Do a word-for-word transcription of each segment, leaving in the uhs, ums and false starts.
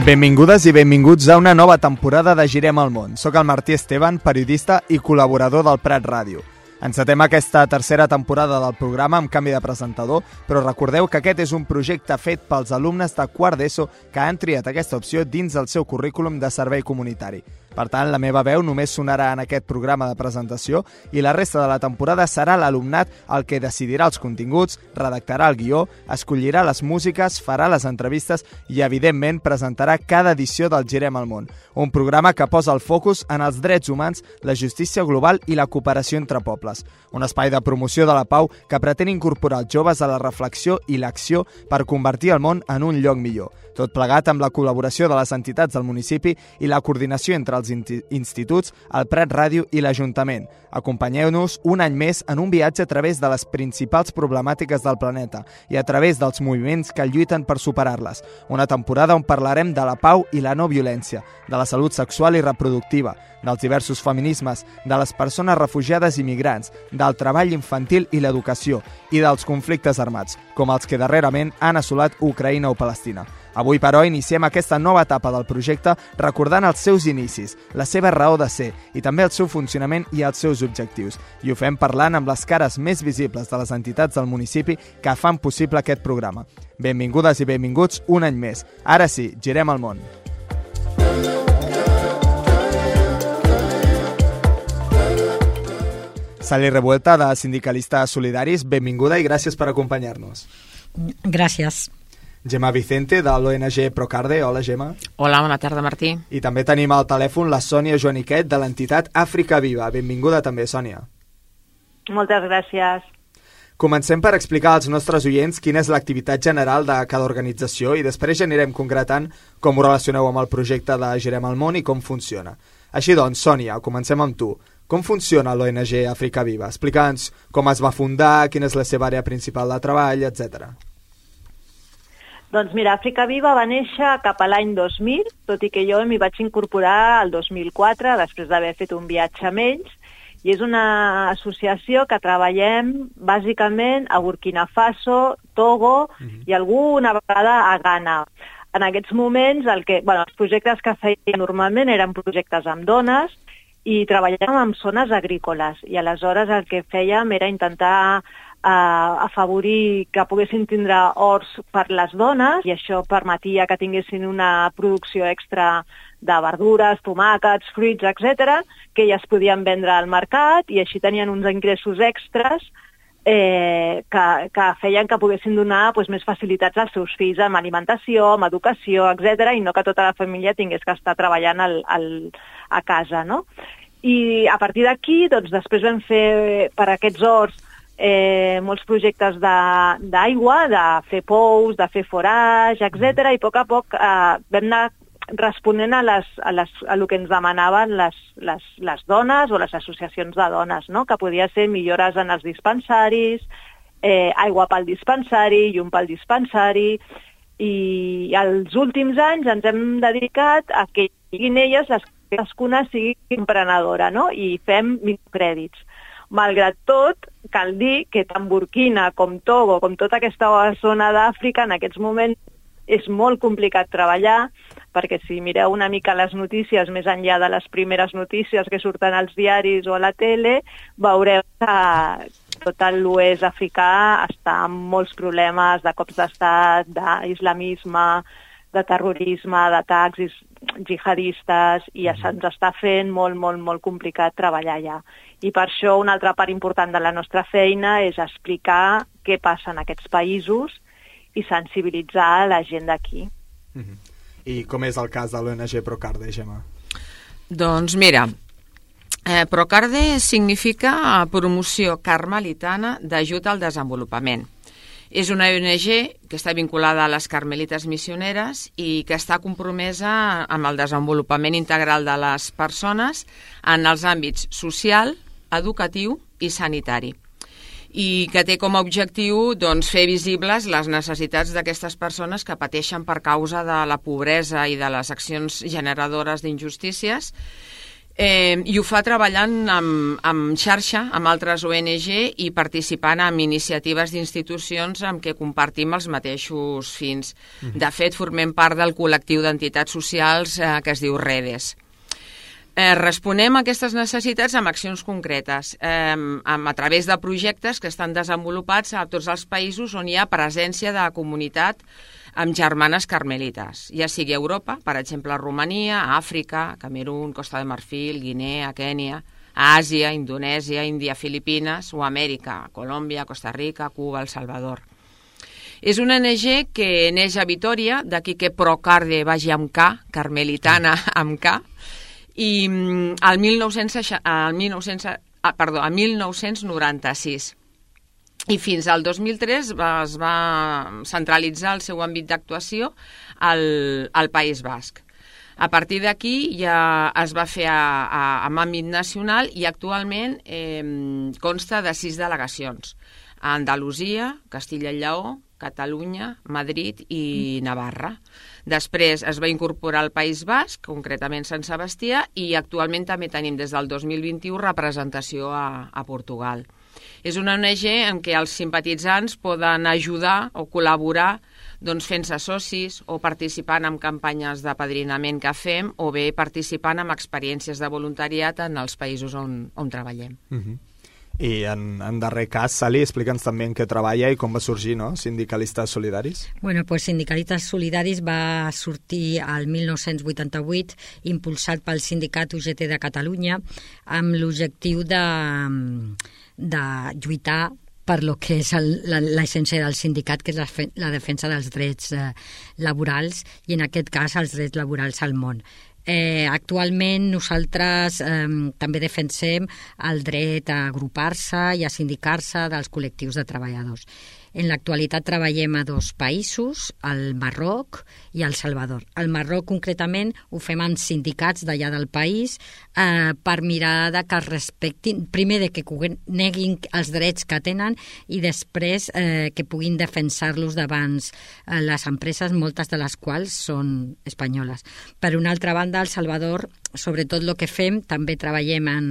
Benvingudes i benvinguts a una nova temporada de Girem el món. Soc el Martí Esteban, periodista i col·laborador del Prat Ràdio. Encetem aquesta tercera temporada del programa amb canvi de presentador, però recordeu que aquest és un projecte fet pels alumnes de quart d'ESO que han triat aquesta opció dins del seu currículum de servei comunitari. Per tant, la meva veu només sonarà en aquest programa de presentació i la resta de la temporada serà l'alumnat el que decidirà els continguts, redactarà el guió, escollirà les músiques, farà les entrevistes i, evidentment, presentarà cada edició del Girem el món, un programa que posa el focus en els drets humans, la justícia global i la cooperació entre pobles. Un espai de promoció de la pau que pretén incorporar els joves a la reflexió i l'acció per convertir el món en un lloc millor. Tot plegat amb la col·laboració de les entitats del municipi i la coordinació entre els instituts, el Prat Ràdio i l'Ajuntament. Acompanyeu-nos un any més en un viatge a través de les principals problemàtiques del planeta i a través dels moviments que lluiten per superar-les. Una temporada on parlarem de la pau i la no violència, de la salut sexual i reproductiva, dels diversos feminismes, de les persones refugiades i migrants, del treball infantil i l'educació i dels conflictes armats, com els que darrerament han assolat Ucraïna o Palestina. Avui, però, iniciem aquesta nova etapa del projecte recordant els seus inicis, la seva raó de ser i també el seu funcionament i els seus objectius. I ho fem parlant amb les cares més visibles de les entitats del municipi que fan possible aquest programa. Benvingudes i benvinguts un any més. Ara sí, girem el món. Sally Revuelta, de Sindicalistes Solidaris, benvinguda i gràcies per acompanyar-nos. Gràcies. Gemma Vicente, de l'O N G Procarde. Hola, Gemma. Hola, bona tarda, Martí. I també tenim al telèfon la Sònia Joaniquet, de l'entitat Àfrica Viva. Benvinguda també, Sònia. Moltes gràcies. Comencem per explicar als nostres oients quina és l'activitat general de cada organització i després ja anirem concretant com ho relacioneu amb el projecte de Girem el món i com funciona. Així doncs, Sònia, comencem amb tu. Com funciona l'O N G Àfrica Viva? Explica'ns com es va fundar, quina és la seva àrea principal de treball, etcètera. Doncs mira, Àfrica Viva va néixer cap a l'any dos mil, tot i que jo m'hi vaig incorporar el dos mil quatre, després d'haver fet un viatge amb ells, i és una associació que treballem bàsicament a Burkina Faso, Togo uh-huh. i alguna vegada a Ghana. En aquests moments, el que, bueno, els projectes que feien normalment eren projectes amb dones i treballàvem en zones agrícoles, i aleshores el que fèiem era intentar a afavorir que poguessin tindre horts per les dones i això permetia que tinguessin una producció extra de verdures, tomàquets, fruits, etcètera, que elles podien vendre al mercat i així tenien uns ingressos extras eh, que, que feien que poguessin donar pues, més facilitats als seus fills amb alimentació, amb educació, etcètera, i no que tota la família tingués que estar treballant al, al, a casa, no? I a partir d'aquí, doncs, després vam fer per aquests horts Eh, molts projectes d'aigua, de, de fer pous, de fer forage, etcètera, i a poc a poc eh, vam anar responent a, les, a, les, a lo que ens demanaven les, les, les dones o les associacions de dones, no? Que podia ser millores en els dispensaris, eh, aigua pel dispensari, llum pel dispensari, i els últims anys ens hem dedicat a que siguin elles les que cadascuna sigui emprenedora, no? I fem microcrèdits. Malgrat tot, cal dir que tant Burkina com Togo, com tota aquesta zona d'Àfrica, en aquests moments és molt complicat treballar, perquè si mireu una mica les notícies, més enllà de les primeres notícies que surten als diaris o a la tele, veureu que tot l'oest africà està amb molts problemes de cops d'estat, d'islamisme, de terrorisme, d'atacs jihadistes, i ja se'ns està fent molt, molt, molt complicat treballar allà. I per això una altra part important de la nostra feina és explicar què passa en aquests països i sensibilitzar la gent d'aquí. Mm-hmm. I com és el cas de l'O N G Procarde, Gemma? Doncs mira, eh, Procarde significa promoció carmelitana d'ajut al desenvolupament. És una O N G que està vinculada a les Carmelites Missioneres i que està compromesa amb el desenvolupament integral de les persones en els àmbits social, educatiu i sanitari, i que té com a objectiu doncs, fer visibles les necessitats d'aquestes persones que pateixen per causa de la pobresa i de les accions generadores d'injustícies, Eh, I ho fa treballant amb, amb xarxa, amb altres O N G i participant en iniciatives d'institucions amb què compartim els mateixos fins. De fet, formem part del col·lectiu d'entitats socials eh, que es diu Redes. Eh, responem a aquestes necessitats amb accions concretes, eh, amb, a través de projectes que estan desenvolupats a tots els països on hi ha presència de comunitat amb germanes carmelites, ja sigui a Europa, per exemple, a Romania, a Àfrica, Camerún, Costa de Marfil, Guinea, Kènia, a Àsia, Indonèsia, Índia, Filipines, o a Amèrica, Colòmbia, Costa Rica, Cuba, El Salvador. És una O N G que neix a Vitòria, d'aquí que Procarde vagi amb K, carmelitana amb K, i al mil nou-cents noranta-sis. I fins al dos mil tres va, es va centralitzar el seu àmbit d'actuació al, al País Basc. A partir d'aquí ja es va fer a, a, amb àmbit nacional i actualment eh, consta de sis delegacions. A Andalusia, Castilla i Lleó, Catalunya, Madrid i Navarra. Després es va incorporar al País Basc, concretament Sant Sebastià, i actualment també tenim des del dos mil vint-i-u representació a, a Portugal. És una O N G en què els simpatitzants poden ajudar o col·laborar doncs, fent-se socis o participant en campanyes d'apadrinament que fem o bé participant en experiències de voluntariat en els països on, on treballem. Uh-huh. I en, en darrer cas, Sally, explica'ns també en què treballa i com va sorgir, no?, Sindicalistes Solidaris. Bueno, pues Sindicalistes Solidaris va sortir al mil nou-cents vuitanta-vuit, impulsat pel Sindicat U G T de Catalunya, amb l'objectiu de, de lluitar per lo que és l'essència del sindicat, que és la, la defensa dels drets eh, laborals i, en aquest cas, els drets laborals al món. Eh, actualment nosaltres eh, també defensem el dret a agrupar-se i a sindicar-se dels col·lectius de treballadors. En l'actualitat treballem a dos països, el Marroc i el Salvador. Al Marroc, concretament, ho fem amb sindicats d'allà del país eh, per mirar de que es respectin, primer de que neguin els drets que tenen i després eh, que puguin defensar-los davant eh, les empreses, moltes de les quals són espanyoles. Per una altra banda, al Salvador, sobretot el que fem, també treballem en,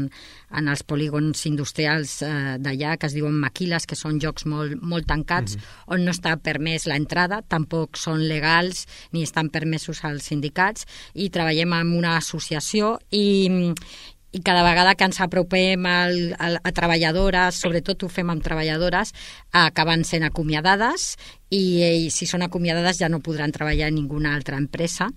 en els polígons industrials eh, d'allà, que es diuen maquiles, que són llocs molt, molt tancats, mm-hmm. on no està permès l'entrada, tampoc són legals ni estan permesos als sindicats, i treballem amb una associació i, i cada vegada que ens apropem al, al, a treballadores, sobretot ho fem amb treballadores, acaben sent acomiadades i, i si són acomiadades ja no podran treballar en ninguna altra empresa,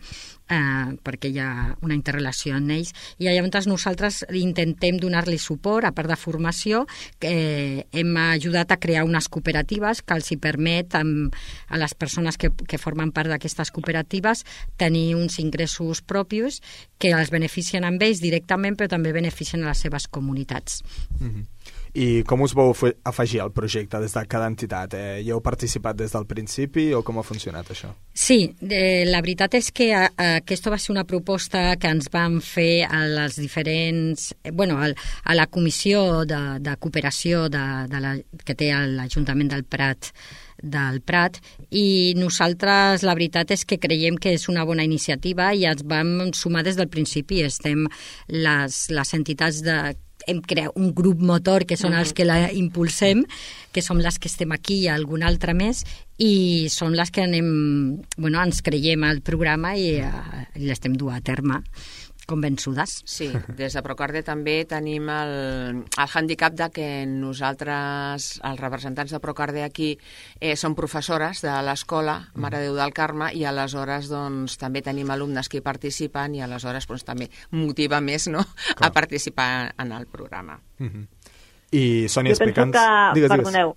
eh, perquè hi ha una interrelació en ells. I llavors nosaltres intentem donar-li suport, a part de formació, que eh, hem ajudat a crear unes cooperatives que els hi permet amb, a les persones que, que formen part d'aquestes cooperatives tenir uns ingressos propis que els beneficien amb ells directament, però també beneficien a les seves comunitats. Mm-hmm. I com us vau afegir al projecte des de cada entitat? Eh, hi heu participat des del principi o com ha funcionat això? Sí, eh, la veritat és que eh, aquesta va ser una proposta que ens van fer a les diferents... Eh, bueno, a, a la comissió de, de cooperació de, de la, que té l'Ajuntament del Prat del Prat, i nosaltres la veritat és que creiem que és una bona iniciativa i ens vam sumar des del principi. Estem les, les entitats de... hem creat un grup motor que són els que la impulsem, que som les que estem aquí i algun altre més, i són les que anem, bueno, ens creiem al programa i, uh, i l'estem duent a terme convençudes. Sí, des de Procarde també tenim el, el handicap de que nosaltres, els representants de Procarde aquí, eh, som professores de l'escola Mare de Déu del Carme, i aleshores doncs, també tenim alumnes que hi participen i aleshores doncs, també motiva més, no?, a participar en el programa. Mm-hmm. I Sònia, explica'ns... Que, digues, perdoneu,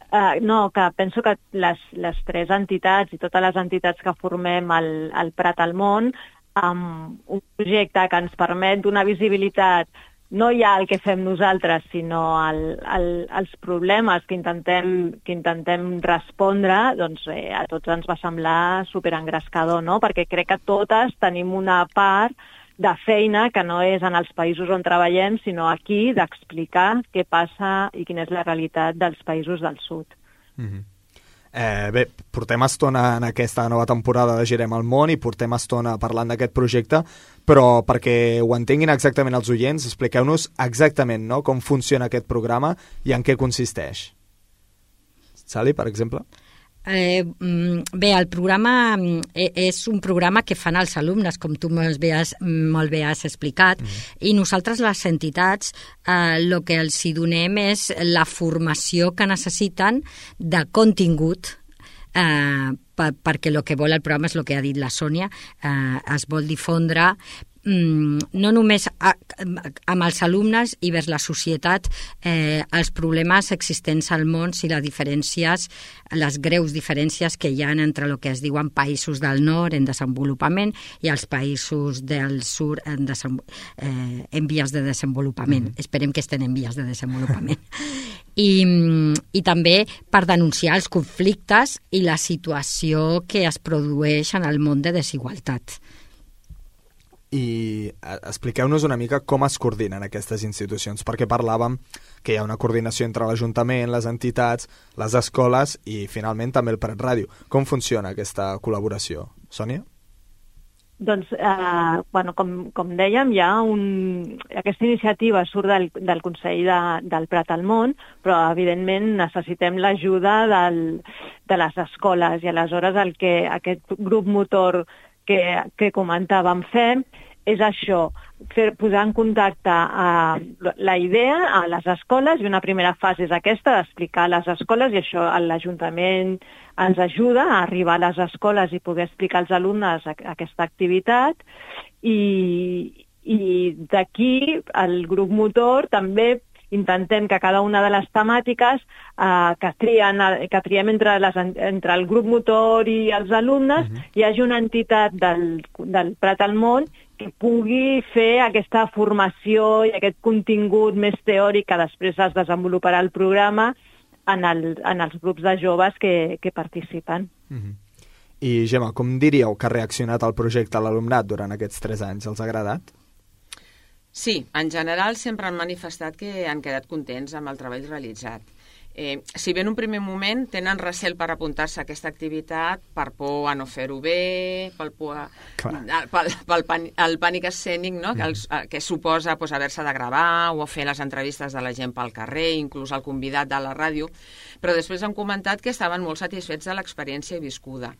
uh, no, que penso que les, les tres entitats i totes les entitats que formem el, el Prat al món, amb un projecte que ens permet donar visibilitat no ja al que fem nosaltres, sinó al, al, als problemes que intentem, que intentem respondre, doncs eh, a tots ens va semblar superengrescador, no? Perquè crec que totes tenim una part de feina que no és en els països on treballem, sinó aquí, d'explicar què passa i quina és la realitat dels països del sud. Mm-hmm. Eh, bé, portem estona en aquesta nova temporada de Girem el món i portem estona parlant d'aquest projecte, però perquè ho entenguin exactament els oients, expliqueu-nos exactament, no?, com funciona aquest programa i en què consisteix. Sally, per exemple? Eh, bé, el programa és un programa que fan els alumnes, com tu molt bé has, molt bé has explicat, mm-hmm. i nosaltres, les entitats, el eh, que els hi donem és la formació que necessiten de contingut, eh, per, perquè el que vol el programa és el que ha dit la Sònia, eh, es vol difondre no només a, amb els alumnes i vers la societat eh, els problemes existents al món i les diferències, les greus diferències que hi ha entre el que es diuen països del nord en desenvolupament i els països del sud en, desen, eh, en vies de desenvolupament. Mm-hmm. Esperem que estén en vies de desenvolupament. I, i també per denunciar els conflictes i la situació que es produeix en el món de desigualtat. I expliqueu-nos una mica com es coordinen aquestes institucions, perquè parlàvem que hi ha una coordinació entre l'Ajuntament, les entitats, les escoles i finalment també el Prat Ràdio. Com funciona aquesta col·laboració? Sònia? Doncs, eh, bueno, com, com dèiem, hi ha un... aquesta iniciativa surt del, del Consell de, del Prat al Món, però evidentment necessitem l'ajuda del, de les escoles i aleshores el que aquest grup motor que, que comentàvem fer és això, fer, posar en contacte a la idea a les escoles, i una primera fase és aquesta, d'explicar a les escoles, i això l'Ajuntament ens ajuda a arribar a les escoles i poder explicar als alumnes aquesta activitat, i, i d'aquí el grup motor també intentem que cada una de les temàtiques eh, que, trien, que triem entre, les, entre el grup motor i els alumnes, uh-huh. hi hagi una entitat del, del Prat al Món que pugui fer aquesta formació i aquest contingut més teòric que després es desenvoluparà el programa en, el, en els grups de joves que, que participen. Uh-huh. I Gemma, com diríeu que ha reaccionat el projecte a l'alumnat durant aquests tres anys? Els ha agradat? Sí, en general sempre han manifestat que han quedat contents amb el treball realitzat. Eh, si bé en un primer moment tenen recel per apuntar-se a aquesta activitat per por a no fer-ho bé, pel, por a, pel, pel pan, el pànic escènic, no? que, els, que suposa pues, haver-se de gravar o fer les entrevistes de la gent pel carrer, inclús el convidat de la ràdio, però després han comentat que estaven molt satisfets de l'experiència viscuda.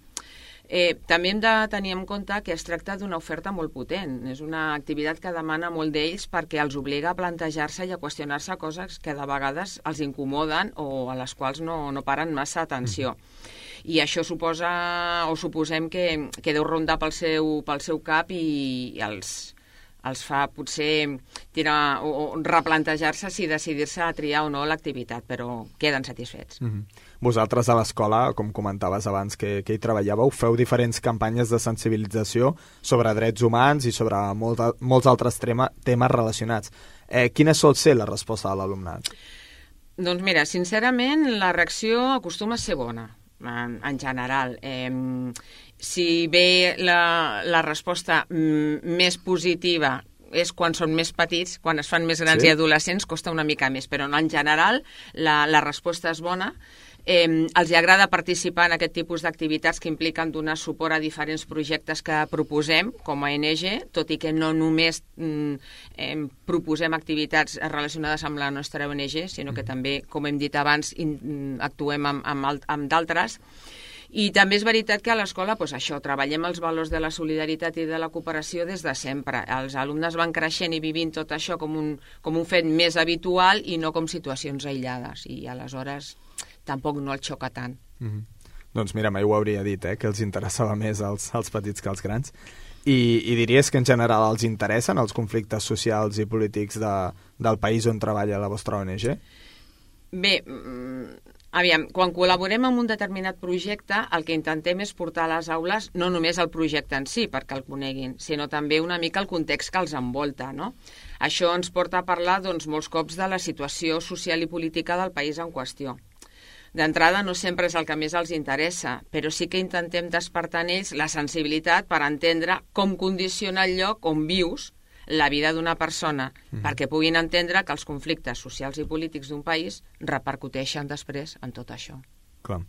Eh, també hem de tenir en compte que es tracta d'una oferta molt potent. És una activitat que demana molt d'ells perquè els obliga a plantejar-se i a qüestionar-se coses que de vegades els incomoden o a les quals no, no paren massa atenció. I això suposa, o suposem que, que deu rondar pel seu, pel seu cap i, i els, els fa potser tirar, o, o replantejar-se si decidir-se a triar o no l'activitat, però queden satisfets. Mm-hmm. Vosaltres a l'escola, com comentaves abans que, que hi treballàveu, feu diferents campanyes de sensibilització sobre drets humans i sobre molt, molts altres tema, temes relacionats. Eh, quina sol ser la resposta de l'alumnat? Doncs mira, sincerament, la reacció acostuma a ser bona, en, en general. Eh, si bé la, la resposta mm, més positiva és quan són més petits, quan es fan més grans sí? i adolescents, costa una mica més, però en general la, la resposta és bona. Eh, els agrada participar en aquest tipus d'activitats que impliquen donar suport a diferents projectes que proposem com a O N G, tot i que no només mm, eh, proposem activitats relacionades amb la nostra O N G, sinó que també, com hem dit abans, in, actuem amb, amb, amb d'altres. I també és veritat que a l'escola, doncs això, treballem els valors de la solidaritat i de la cooperació des de sempre. Els alumnes van creixent i vivint tot això com un, com un fet més habitual i no com situacions aïllades. I aleshores tampoc no el xoca tant. Mm-hmm. Doncs mira, mai ho hauria dit, eh, que els interessava més als, als petits que als grans. I, I diries que en general els interessen els conflictes socials i polítics de, del país on treballa la vostra O N G? Bé, aviam, quan col·laborem en un determinat projecte, el que intentem és portar a les aules no només el projecte en si, perquè el coneguin, sinó també una mica el context que els envolta, no? Això ens porta a parlar, doncs, molts cops de la situació social i política del país en qüestió. D'entrada, no sempre és el que més els interessa, però sí que intentem despertar en ells la sensibilitat per entendre com condiciona el lloc on vius la vida d'una persona, mm. perquè puguin entendre que els conflictes socials i polítics d'un país repercuteixen després en tot això. Clar.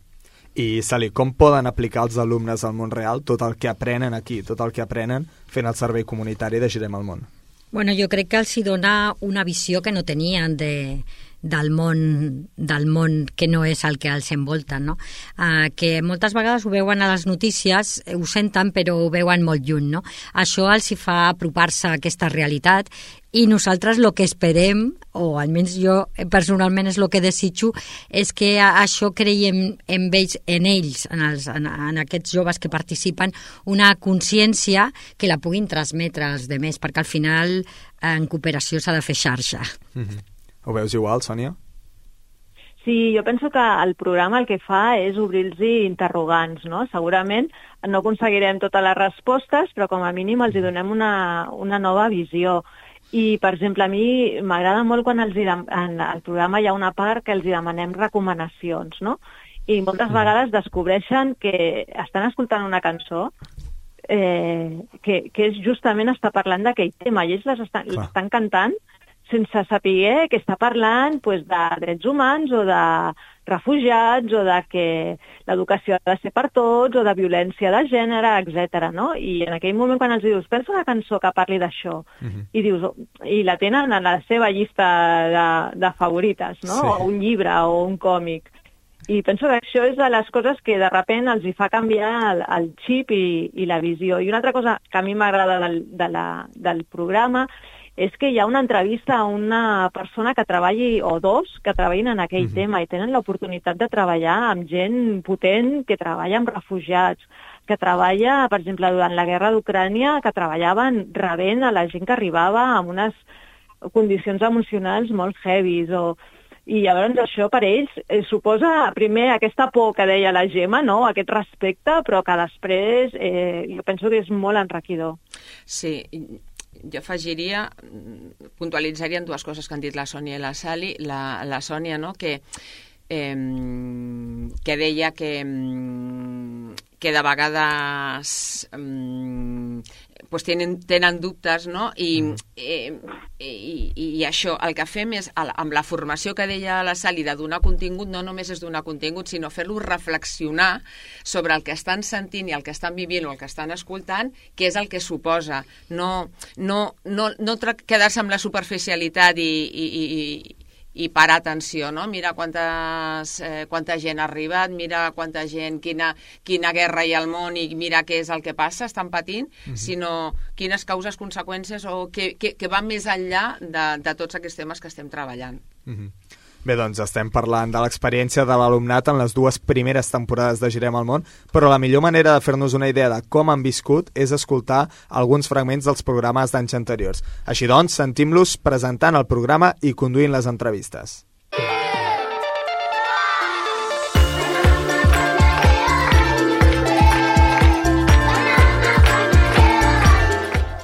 I, Sally, com poden aplicar els alumnes al món real tot el que aprenen aquí, tot el que aprenen fent el servei comunitari de Girem al Món? Bueno, jo crec que els hi dona una visió que no tenien de, del món, del món que no és el que els envolta, no? Uh, que moltes vegades ho veuen a les notícies, ho senten però ho veuen molt lluny, no? Això els hi fa apropar-se a aquesta realitat i nosaltres el que esperem, o almenys jo personalment és el que desitjo, és que això creiem en ells, en, ells en, els, en, en aquests joves que participen, una consciència que la puguin transmetre als demés, perquè al final en cooperació s'ha de fer xarxa. Mm-hmm. Ho veus igual, Sònia? Sí, jo penso que el programa el que fa és obrir-los interrogants, no? Segurament no aconseguirem totes les respostes, però com a mínim els hi donem una, una nova visió. I, per exemple, a mi m'agrada molt quan els, en el programa hi ha una part que els demanem recomanacions, no? I moltes vegades descobreixen que estan escoltant una cançó eh, que, que és justament està parlant d'aquell tema, i ells l'estan, l'estan cantant sense saber que està parlant pues, de drets humans o de refugiats o de que l'educació ha de ser per tots o de violència de gènere, etcètera. No? I en aquell moment quan els dius, pensa una cançó que parli d'això, uh-huh. i dius, oh, i la tenen en la seva llista de, de favorites, no? Sí. O un llibre o un còmic. I penso que això és de les coses que de sobte els hi fa canviar el, el xip i, i la visió. I una altra cosa que a mi m'agrada del, de la, del programa és que hi ha una entrevista a una persona que treballi, o dos, que treballin en aquell uh-huh. tema i tenen l'oportunitat de treballar amb gent potent que treballa amb refugiats, que treballa, per exemple, durant la guerra d'Ucrània, que treballaven rebent a la gent que arribava amb unes condicions emocionals molt heavies, o... I llavors això per ells eh, suposa primer aquesta por que deia la Gemma, no? Aquest respecte, però que després eh, jo penso que és molt enriquidor. Sí, jo afegiria, puntualitzaria en dues coses que han dit la Sònia i la Sally. La, la Sònia, no?, que, eh, que deia que, que de vegades eh, pues tenen, tenen dubtes, no? I, eh, i, i això, el que fem és, amb la formació que deia la Sally de donar contingut, no només és donar contingut, sinó fer-los reflexionar sobre el que estan sentint i el que estan vivint o el que estan escoltant, què és el que suposa. No, no, no, no quedar-se amb la superficialitat i, i, i, i parar atenció, no? Mira quantes, eh, quanta gent ha arribat, mira quanta gent, quina, quina guerra hi ha al món i mira què és el que passa, estan patint, uh-huh. sinó quines causes, conseqüències o que, que, que van més enllà de, de tots aquests temes que estem treballant. Uh-huh. Bé, doncs estem parlant de l'experiència de l'alumnat en les dues primeres temporades de Girem al Món, però la millor manera de fer-nos una idea de com han viscut és escoltar alguns fragments dels programes d'anys anteriors. Així doncs, sentim-los presentant el programa i conduint les entrevistes.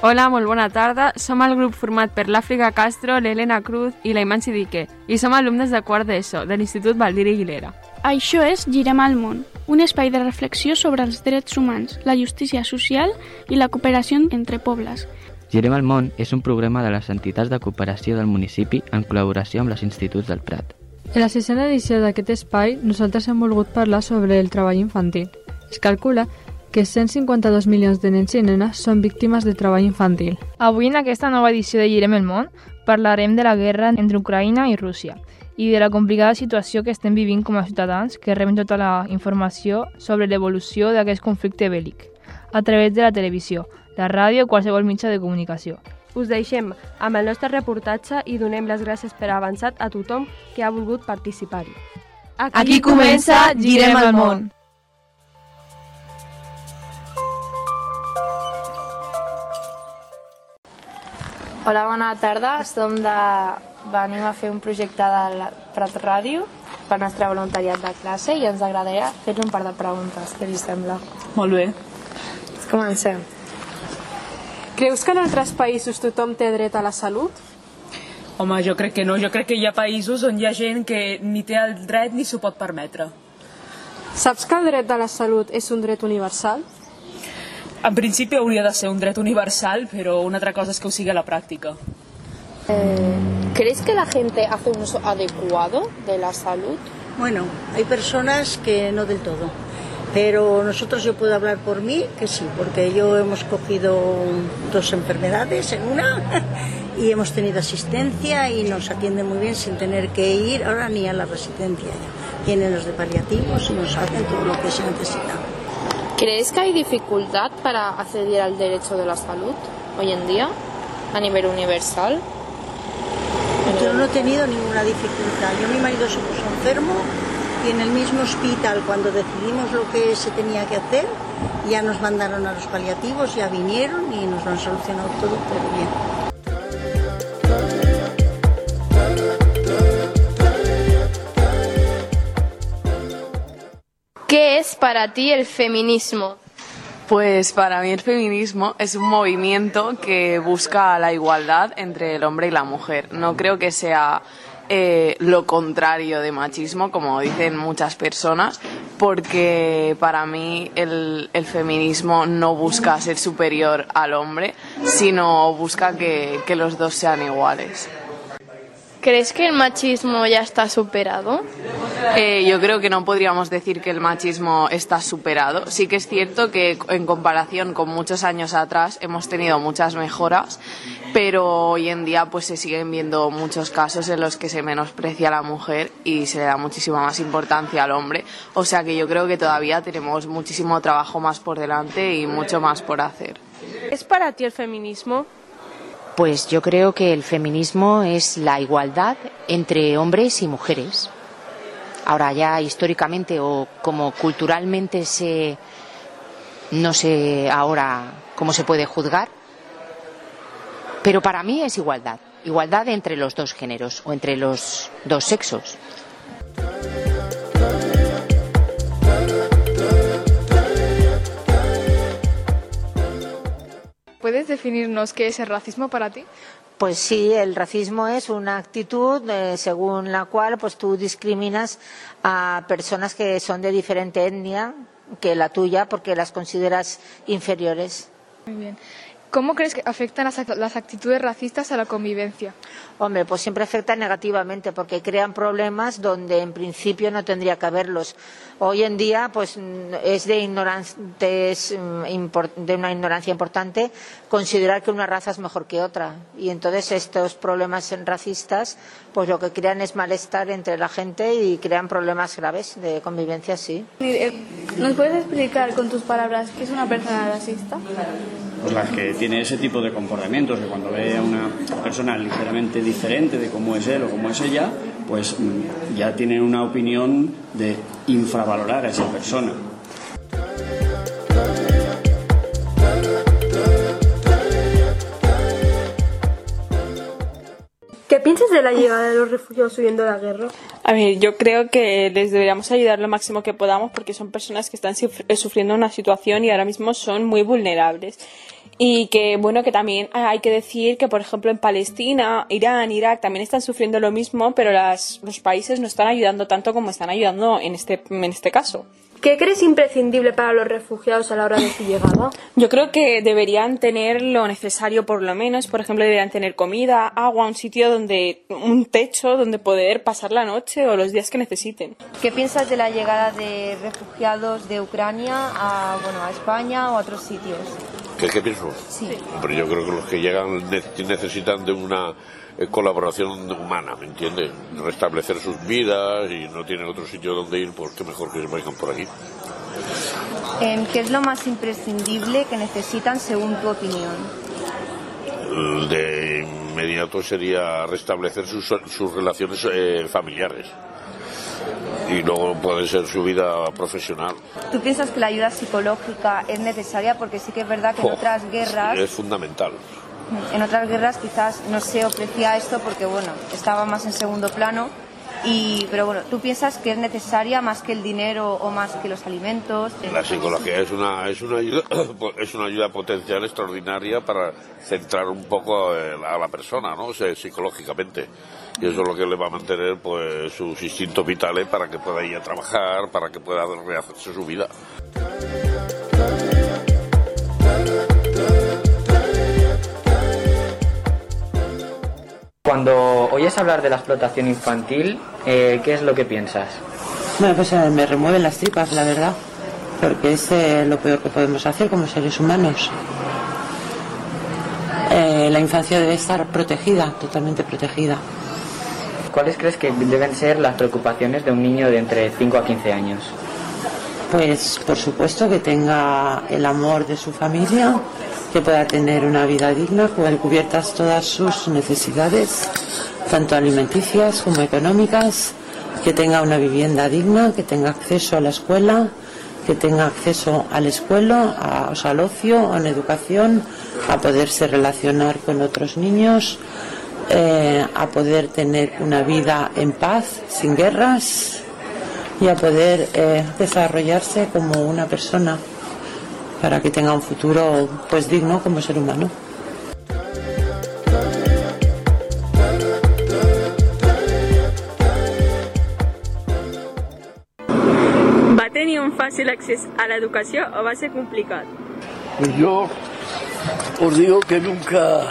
Hola, molt bona tarda. Som el grup format per l'Àfrica Castro, l'Helena Cruz i la Iman Sidique i som alumnes de quart d'ESO de l'Institut Baldiri Guilera. Això és Girem al Món, un espai de reflexió sobre els drets humans, la justícia social i la cooperació entre pobles. Girem al Món és un programa de les entitats de cooperació del municipi en col·laboració amb els instituts del Prat. En la sisena edició d'aquest espai, nosaltres hem volgut parlar sobre el treball infantil. Es calcula que cent cinquanta-dos milions de nens i nenes són víctimes de treball infantil. Avui, en aquesta nova edició de Girem el Món, parlarem de la guerra entre Ucraïna i Rússia i de la complicada situació que estem vivint com a ciutadans que reben tota la informació sobre l'evolució d'aquest conflicte bèl·lic a través de la televisió, la ràdio o qualsevol mitjà de comunicació. Us deixem amb el nostre reportatge i donem les gràcies per avançat a tothom que ha volgut participar-hi. Aquí comença Girem el Món. Hola, bona tarda. Som de... Venim a fer un projecte de Prat Ràdio per nostre voluntariat de classe i ens agradaria fer-li un par de preguntes. Què li sembla? Molt bé. Comencem. Creus que en altres països tothom té dret a la salut? Home, jo crec que no. Jo crec que hi ha països on hi ha gent que ni té el dret ni s'ho pot permetre. Saps que el dret a la salut és un dret universal? En principi hauria de ser un dret universal, pero una otra cosa es que ho sigui a la pràctica. Eh, ¿Crees que la gente hace un uso adecuado de la salud? Bueno, hay personas que no del todo, pero nosotros, yo puedo hablar por mí, que sí, porque yo hemos cogido dos enfermedades en una y hemos tenido asistencia y nos atienden muy bien sin tener que ir ahora ni a la residencia. Tienen los de paliativos y nos hacen todo lo que se necesita. ¿Crees que hay dificultad para acceder al derecho de la salud hoy en día, a nivel universal? Yo no he tenido ninguna dificultad. Yo, mi marido se puso enfermo y en el mismo hospital, cuando decidimos lo que se tenía que hacer, ya nos mandaron a los paliativos, ya vinieron y nos lo han solucionado todo, todo bien. ¿Qué es para ti el feminismo? Pues para mí el feminismo es un movimiento que busca la igualdad entre el hombre y la mujer. No creo que sea eh, lo contrario de machismo, como dicen muchas personas, porque para mí el, el feminismo no busca ser superior al hombre, sino busca que, que los dos sean iguales. ¿Crees que el machismo ya está superado? Eh, yo creo que no podríamos decir que el machismo está superado. Sí que es cierto que en comparación con muchos años atrás hemos tenido muchas mejoras, pero hoy en día pues se siguen viendo muchos casos en los que se menosprecia a la mujer y se le da muchísima más importancia al hombre. O sea que yo creo que todavía tenemos muchísimo trabajo más por delante y mucho más por hacer. ¿Es para ti el feminismo? Pues yo creo que el feminismo es la igualdad entre hombres y mujeres. Ahora ya históricamente o como culturalmente se, no sé ahora cómo se puede juzgar, pero para mí es igualdad, igualdad entre los dos géneros o entre los dos sexos. ¿Puedes definirnos qué es el racismo para ti? Pues sí, el racismo es una actitud eh, según la cual pues tú discriminas a personas que son de diferente etnia que la tuya porque las consideras inferiores. Muy bien. ¿Cómo crees que afectan las, las actitudes racistas a la convivencia? Hombre, pues siempre afectan negativamente porque crean problemas donde en principio no tendría que haberlos. Hoy en día pues es de, ignorantes, de una ignorancia importante considerar que una raza es mejor que otra. Y entonces estos problemas racistas pues lo que crean es malestar entre la gente y crean problemas graves de convivencia, sí. ¿Nos puedes explicar con tus palabras qué es una persona racista? Pues las que tiene ese tipo de comportamientos, que cuando ve a una persona ligeramente diferente de cómo es él o cómo es ella, pues ya tiene una opinión de infravalorar a esa persona. ¿Qué piensas de la llegada de los refugiados huyendo de la guerra? A ver, yo creo que les deberíamos ayudar lo máximo que podamos porque son personas que están sufriendo una situación y ahora mismo son muy vulnerables. Y que, bueno, que también hay que decir que, por ejemplo, en Palestina, Irán, Irak también están sufriendo lo mismo, pero las, los países no están ayudando tanto como están ayudando en este, en este caso. ¿Qué crees imprescindible para los refugiados a la hora de su llegada? Yo creo que deberían tener lo necesario por lo menos. Por ejemplo, deberían tener comida, agua, un sitio donde, un techo donde poder pasar la noche o los días que necesiten. ¿Qué piensas de la llegada de refugiados de Ucrania a, bueno, a España o a otros sitios? ¿Qué, qué pienso? Sí. Hombre, yo creo que los que llegan necesitan de una colaboración humana, ¿me entiendes? Restablecer sus vidas y no tienen otro sitio donde ir, pues qué mejor que se vayan por aquí. ¿Qué es lo más imprescindible que necesitan según tu opinión? De inmediato sería restablecer sus, sus relaciones eh, familiares y luego puede ser su vida profesional. ¿Tú piensas que la ayuda psicológica es necesaria? Porque sí que es verdad que en oh, otras guerras... Es fundamental. En otras guerras quizás no se ofrecía esto porque, bueno, estaba más en segundo plano. Y, pero bueno, ¿tú piensas que es necesaria más que el dinero o más que los alimentos? La psicología es una, es una, ayuda, es una ayuda potencial extraordinaria para centrar un poco a la persona, ¿no? O sea, psicológicamente. Y eso es lo que le va a mantener pues sus instintos vitales para que pueda ir a trabajar, para que pueda rehacerse su vida. Cuando oyes hablar de la explotación infantil, eh, ¿qué es lo que piensas? Bueno, pues eh, me remueven las tripas, la verdad, porque es eh, lo peor que podemos hacer como seres humanos. Eh, la infancia debe estar protegida, totalmente protegida. ¿Cuáles crees que deben ser las preocupaciones de un niño de entre cinco a quince años? Pues por supuesto que tenga el amor de su familia, que pueda tener una vida digna, con cubiertas todas sus necesidades, tanto alimenticias como económicas, que tenga una vivienda digna, que tenga acceso a la escuela, que tenga acceso a la escuela, a, o sea, al ocio, a una educación, a poderse relacionar con otros niños, eh, a poder tener una vida en paz, sin guerras, y a poder eh, desarrollarse como una persona para que tenga un futuro pues digno como ser humano. ¿Va tenir un fàcil accés a la educación o va a ser complicado? Pues yo os digo que nunca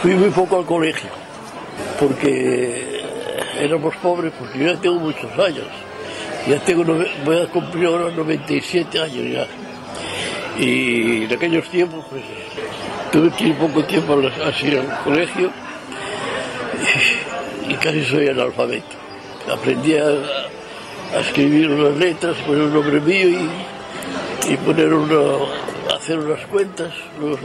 fui muy poco al colegio, porque éramos pobres, porque yo ya tengo muchos años. Ya tengo, voy a cumplir ahora noventa y siete años ya. Y en aquellos tiempos, pues, tuve que ir poco tiempo así al colegio y, y casi soy analfabeto. Aprendí a, a escribir unas letras, poner un nombre mío y, y poner una, hacer unas cuentas, los,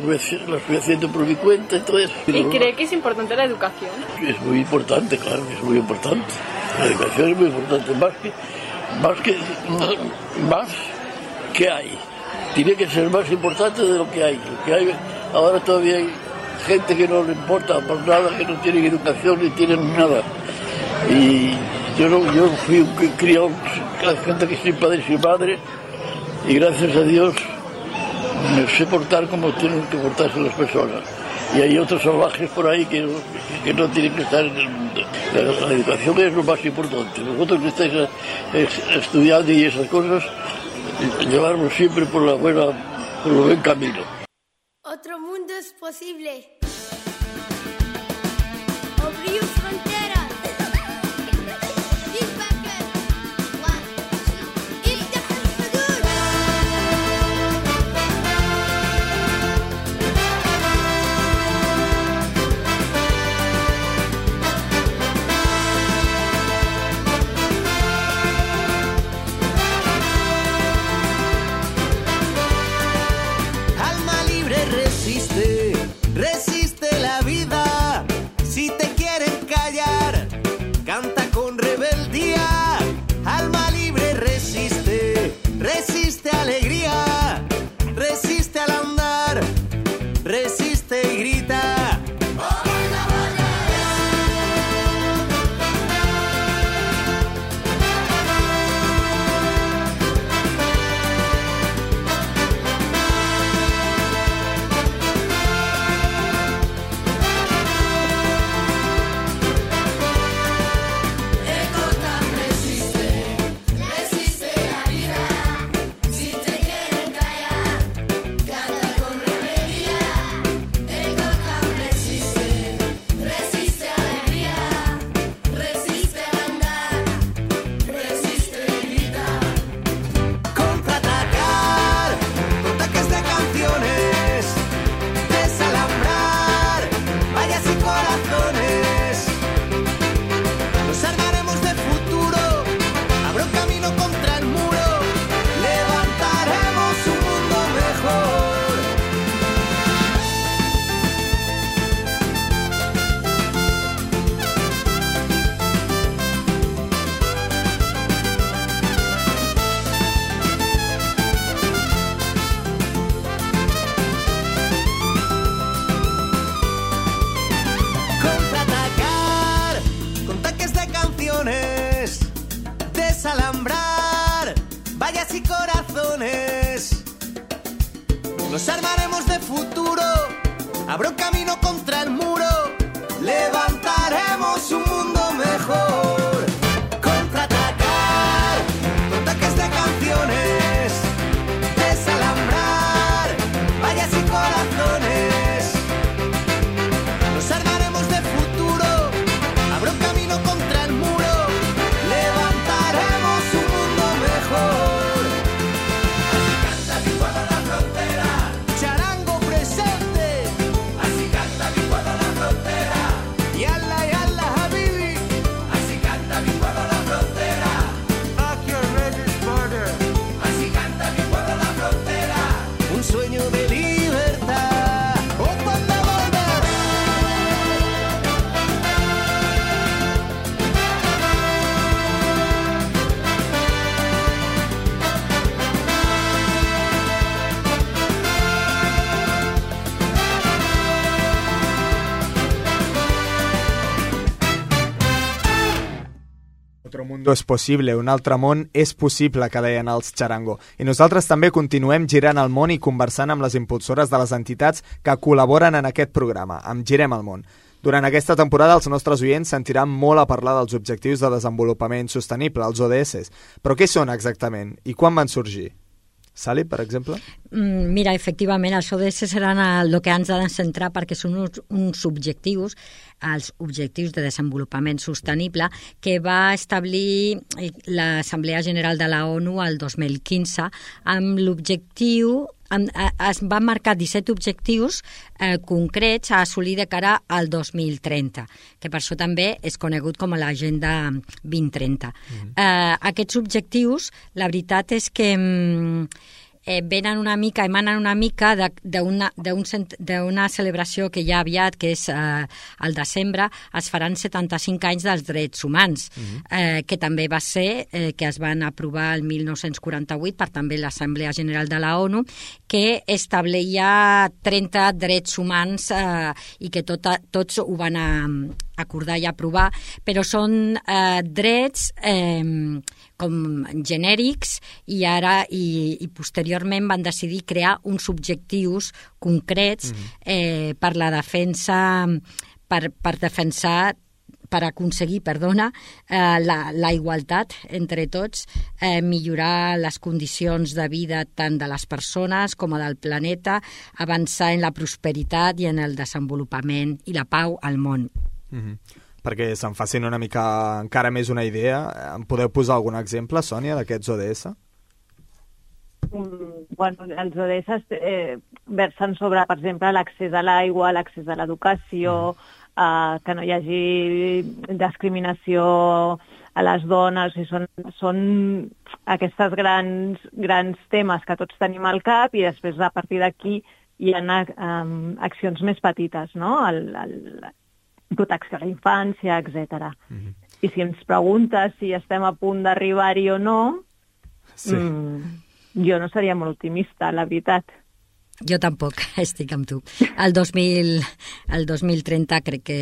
las fui haciendo por mi cuenta y todo eso. ¿Y cree que es importante la educación? Es muy importante, claro, es muy importante. La educación es muy importante, más que, más que, más que hay. Tiene que ser más importante de lo que hay. Lo que hay ahora todavía hay gente que no le importa por nada, que no tienen educación ni tienen nada. Y yo no, yo fui un criado, gente que sin padre y sin madre, y gracias a Dios me sé portar como tienen que portarse las personas. Y hay otros salvajes por ahí que, que no tienen que estar en el mundo. La, la educación es lo más importante. Vosotros que estáis estudiando y esas cosas, llevarnos siempre por la buena, por el buen camino. Otro mundo es posible. Abrir fronteras. Resiste la vida, si te quieren callar, canta con rebeldía. Alma libre resiste, resiste alegría, resiste al andar, resiste y grita. Desalambrar vallas y corazones. Nos armaremos de futuro, habrá un camino contra el muro. Levantaremos un mundo mejor. Contraatacar con ataques de canciones. Desalambrar vallas y corazones. Nos armaremos de futuro, habrá un camino contra el muro. Levantaremos Otro mundo es posible, un altre món és possible, que deien els Charango. I nosaltres també continuem girant el món i conversant amb les impulsores de les entitats que col·laboren en aquest programa, amb Girem el món. Durant aquesta temporada els nostres oients sentiran molt a parlar dels Objectius de Desenvolupament Sostenible, els O D S. Però què són exactament i quan van sorgir? Sally, per exemple? Mm, mira, efectivament, els O D S seran el que ens ha de centrar perquè són uns, uns objectius, els Objectius de Desenvolupament Sostenible, que va establir l'Assemblea General de la ONU el dos mil quinze amb l'objectiu... es van marcar disset objectius eh, concrets a assolir de cara al dos mil trenta, que per això també és conegut com a l'Agenda vint trenta. Mm-hmm. eh, aquests objectius, la veritat és que mm, eh, venen una mica, emanen una mica d'una d'una celebració que hi ha aviat, que és eh, al desembre, es faran setanta-cinc anys dels drets humans, mm-hmm. eh, que també va ser, eh, que es van aprovar el mil nou-cents quaranta-vuit per també l'Assemblea General de la ONU, que establia trenta drets humans eh, i que tot, tots ho van a, acordar i aprovar, però són eh, drets eh, com genèrics i ara i, i posteriorment van decidir crear uns objectius concrets eh, per la defensa, per, per defensar per aconseguir, perdona, eh, la, la igualtat entre tots, eh, millorar les condicions de vida tant de les persones com del planeta, avançar en la prosperitat i en el desenvolupament i la pau al món. Mm-hmm. Perquè se'n facin una mica encara més una idea, em podeu posar algun exemple, Sònia, d'aquests O D S? Mm, bueno, els O D S eh, versen sobre, per exemple, l'accés a l'aigua, l'accés a l'educació, mm. eh, que no hi hagi discriminació a les dones, i són, són aquests grans, grans temes que tots tenim al cap i després a partir d'aquí hi ha um, accions més petites, no? El, el, protecció a la infància, etcètera. Mm-hmm. I si ens preguntes si estem a punt d'arribar-hi o no, sí. mm, jo no seria molt optimista, la veritat. Jo tampoc, estic amb tu. El dos mil, el dos mil trenta crec que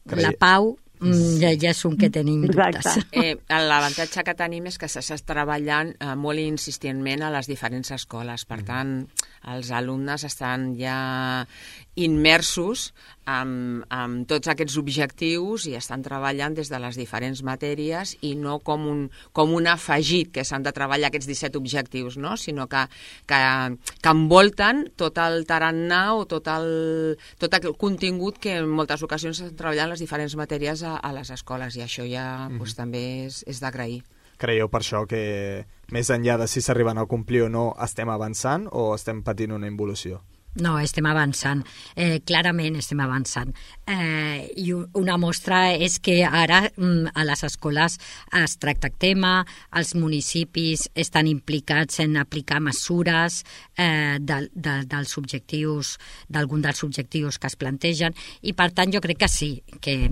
Crei... la pau mm, ja, ja és un que tenim dubtes. Eh, L'avantatge que tenim és que s'està treballant eh, molt insistentment a les diferents escoles. Per tant, els alumnes estan ja immersos amb, amb tots aquests objectius i estan treballant des de les diferents matèries i no com un, com un afegit que s'han de treballar aquests disset objectius, no? Sinó que, que, que envolten tot el tarannà o tot el, tot el contingut que en moltes ocasions s'han treballat en les diferents matèries a, a les escoles, i això ja mm-hmm. doncs, també és, és d'agrair. Creieu per això que més enllà de si s'arriben a complir o no estem avançant o estem patint una involució? No, estem avançant. Eh, clarament estem avançant. Eh, I una mostra és que ara mm, a les escoles es tracta el tema, els municipis estan implicats en aplicar mesures eh, de, de, dels objectius, d'algun dels objectius que es plantegen, i per tant jo crec que sí, que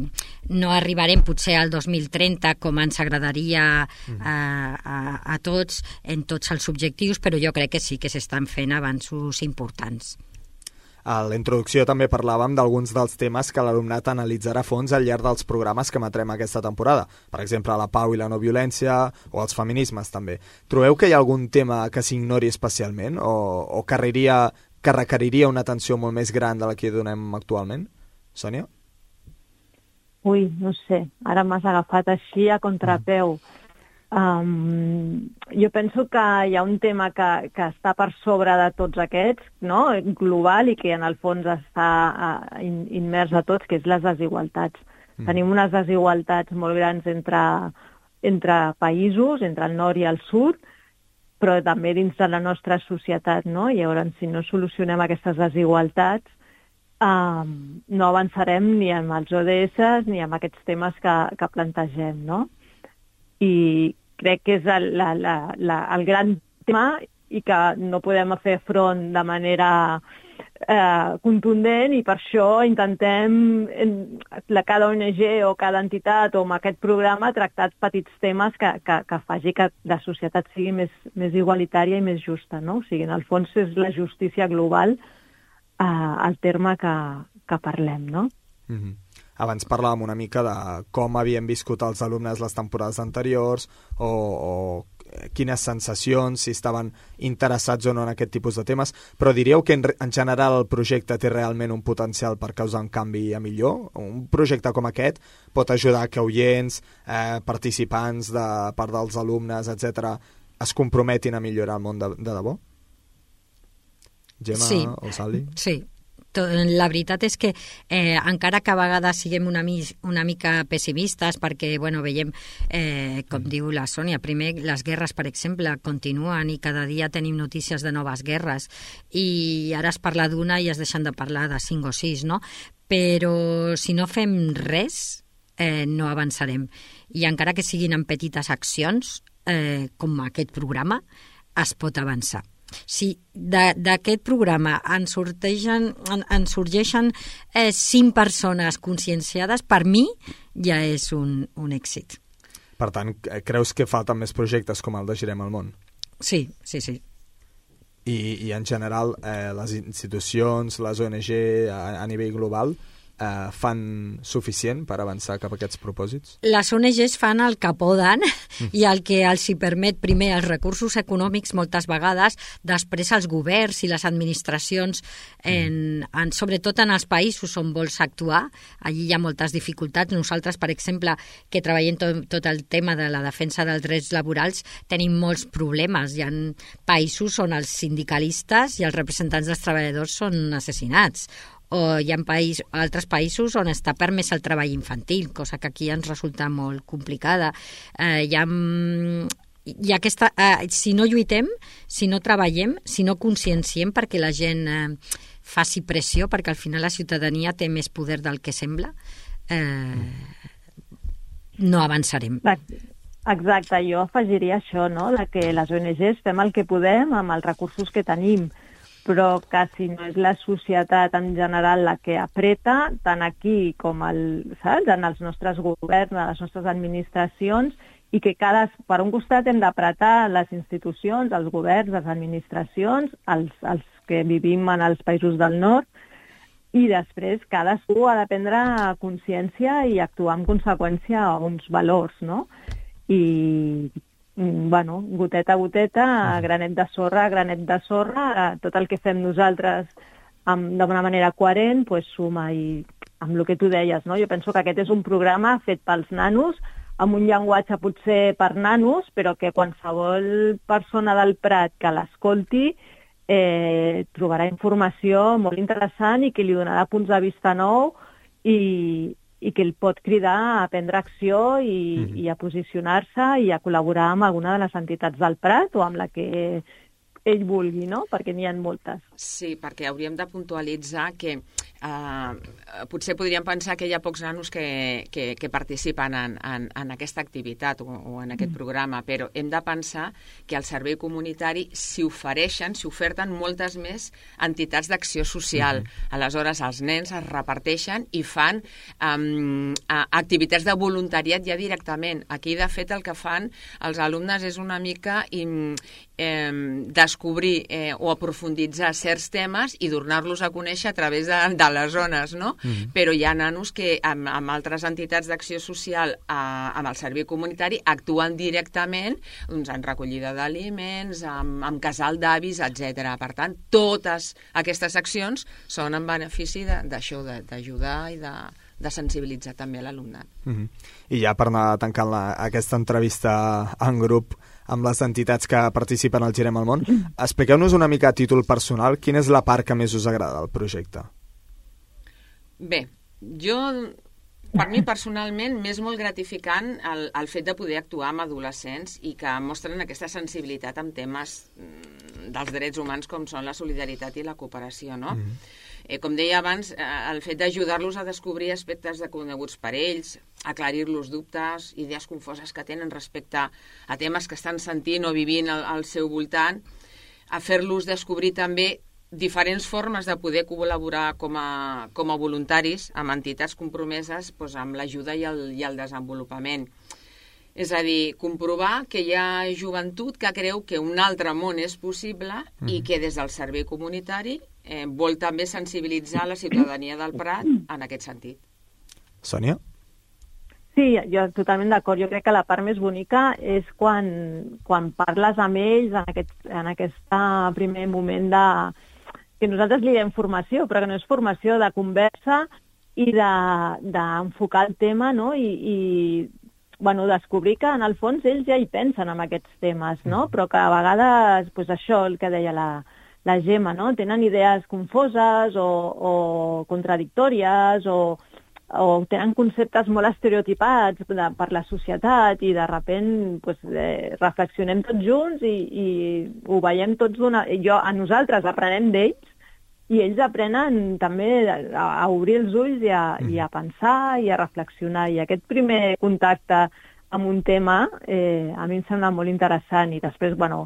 no arribarem potser al dos mil trenta com ens agradaria eh, a, a tots en tots els objectius, però jo crec que sí que s'estan fent avanços importants. A la introducció també parlàvem d'alguns dels temes que l'alumnat analitzarà a fons al llarg dels programes que emetrem aquesta temporada. Per exemple, la pau i la no violència o els feminismes també. Trobeu que hi ha algun tema que s'ignori especialment o, o que, requeriria, que requeriria una atenció molt més gran de la que donem actualment? Sònia? Ui, no sé. Ara m'has agafat així a contrapeu. Mm. Um, jo penso que hi ha un tema que, que està per sobre de tots aquests, no? Global, i que en el fons està uh, in, immers a tots, que és les desigualtats. Mm. Tenim unes desigualtats molt grans entre, entre països, entre el nord i el sud, però també dins de la nostra societat, no? I llavors, si no solucionem aquestes desigualtats, um, no avançarem ni amb els O D S ni amb aquests temes que, que plantegem, no? I crec que és el, la, la, la, el gran tema i que no podem fer front de manera eh, contundent, i per això intentem, en, la, cada O N G o cada entitat o amb aquest programa, tractar petits temes que, que, que faci que la societat sigui més, més igualitària i més justa, no? O sigui, en el fons és la justícia global eh, el terme que, que parlem, no? Mm-hmm. abans parlàvem una mica de com havien viscut els alumnes les temporades anteriors o, o quines sensacions, si estaven interessats o no en aquest tipus de temes, però diríeu que en, en general el projecte té realment un potencial per causar un canvi a millor? Un projecte com aquest pot ajudar que oients, eh, participants de part dels alumnes, etcètera, es comprometin a millorar el món de, de debò? Gemma sí, o Sally? Sí. La veritat és que eh, encara que a vegades siguem una, mi una mica pessimistes perquè bueno, veiem, eh, com mm. diu la Sònia, primer les guerres, per exemple, continuen i cada dia tenim notícies de noves guerres i ara es parla d'una i es deixen de parlar de cinc o sis, no? Però si no fem res eh, no avançarem i encara que siguin en petites accions eh, com aquest programa es pot avançar. Si d'aquest programa en sorgeixen, en, en sorgeixen eh, cinc persones conscienciades, per mi ja és un, un èxit. Per tant, creus que falten més projectes com el de Girem el Món? Sí, sí, sí. I, i en general, eh, les institucions, les O N G a, a nivell global, eh, fan suficient per avançar cap a aquests propòsits? Les O N Ges fan el que poden mm. i el que els hi permet primer els recursos econòmics moltes vegades, després els governs i les administracions, en, en, sobretot en els països on vols actuar, allí hi ha moltes dificultats. Nosaltres, per exemple, que treballem tot, tot el tema de la defensa dels drets laborals, tenim molts problemes. Hi ha països on els sindicalistes i els representants dels treballadors són assassinats, o hi ha país, altres països on està permès el treball infantil, cosa que aquí ens resulta molt complicada. Eh, hi ha, hi ha aquesta, eh, si no lluitem, si no treballem, si no conscienciem perquè la gent eh, faci pressió, perquè al final la ciutadania té més poder del que sembla, eh, no avançarem. Exacte, jo afegiria això, no? De que les O N Ges fem el que podem amb els recursos que tenim, però que si no és la societat en general la que apreta, tant aquí com el, saps? En els nostres governs, en les nostres administracions, i que cada, per un costat hem d'apretar les institucions, els governs, les administracions, els, els que vivim en els països del nord, i després cadascú ha de prendre consciència i actuar en conseqüència a uns valors, no? I bueno, goteta a goteta, granet de sorra, granet de sorra, tot el que fem nosaltres d'una manera coherent, pues, suma. I amb el que tu deies, no? Jo penso que aquest és un programa fet pels nanos, amb un llenguatge potser per nanos, però que qualsevol persona del Prat que l'escolti eh, trobarà informació molt interessant i que li donarà punts de vista nou i i que el pot cridar a prendre acció i, mm-hmm. i a posicionar-se i a col·laborar amb alguna de les entitats del Prat o amb la que ell vulgui, no? Perquè n'hi ha moltes. Sí, perquè hauríem de puntualitzar que eh, potser podríem pensar que hi ha pocs nanos que, que, que participen en, en, en aquesta activitat o, o en aquest mm. programa, però hem de pensar que al servei comunitari s'hi ofereixen, s'hi oferten moltes més entitats d'acció social. Mm-hmm. Aleshores, els nens es reparteixen i fan um, activitats de voluntariat ja directament. Aquí, de fet, el que fan els alumnes és una mica im, eh, descobrir eh, o aprofunditzar certs temes i donar-los a conèixer a través de, de les zones, no? Mm-hmm. Però hi ha nanos que amb, amb altres entitats d'acció social eh, amb el servei comunitari actuen directament doncs, en recollida d'aliments, amb, amb casal d'avis, etcètera. Per tant, totes aquestes accions són en benefici d'això, d'ajudar i de, de sensibilitzar també l'alumnat. Mm-hmm. I ja per anar tancant la, aquesta entrevista en grup amb les entitats que participen al Girem el Món, expliqueu-nos una mica a títol personal quina és la part que més us agrada del projecte. Bé, jo, per mi personalment, m'és molt gratificant el, el fet de poder actuar amb adolescents i que mostren aquesta sensibilitat amb temes dels drets humans com són la solidaritat i la cooperació, no? Mm-hmm. Eh, com deia abans, eh, el fet d'ajudar-los a descobrir aspectes desconeguts per ells, aclarir-los dubtes, idees confoses que tenen respecte a temes que estan sentint o vivint al, al seu voltant, a fer-los descobrir també diferents formes de poder col·laborar com a, com a voluntaris amb entitats compromeses doncs, amb l'ajuda i, el, i el desenvolupament. És a dir, comprovar que hi ha joventut que creu que un altre món és possible mm. i que des del servei comunitari eh, vol també sensibilitzar la ciutadania del Prat en aquest sentit. Sònia? Sí, jo totalment d'acord. Jo crec que la part més bonica és quan, quan parles amb ells en aquest, en aquest primer moment de... que nosaltres li diem formació, però que no és formació de conversa i d'enfocar de, el tema, no? I, i bueno, descobrir que en el fons ells ja hi pensen en aquests temes, no? Però que a vegades, pues això, el que deia la, la Gemma, no? Tenen idees confoses o, o contradictòries o, o tenen conceptes molt estereotipats de, per la societat i de sobte pues, eh, reflexionem tots junts i, i ho veiem tots d'una... Jo, a nosaltres aprenem d'ells i ells aprenen també a, a obrir els ulls i a, mm. i a pensar i a reflexionar. I aquest primer contacte amb un tema eh, a mi em sembla molt interessant i després, bueno,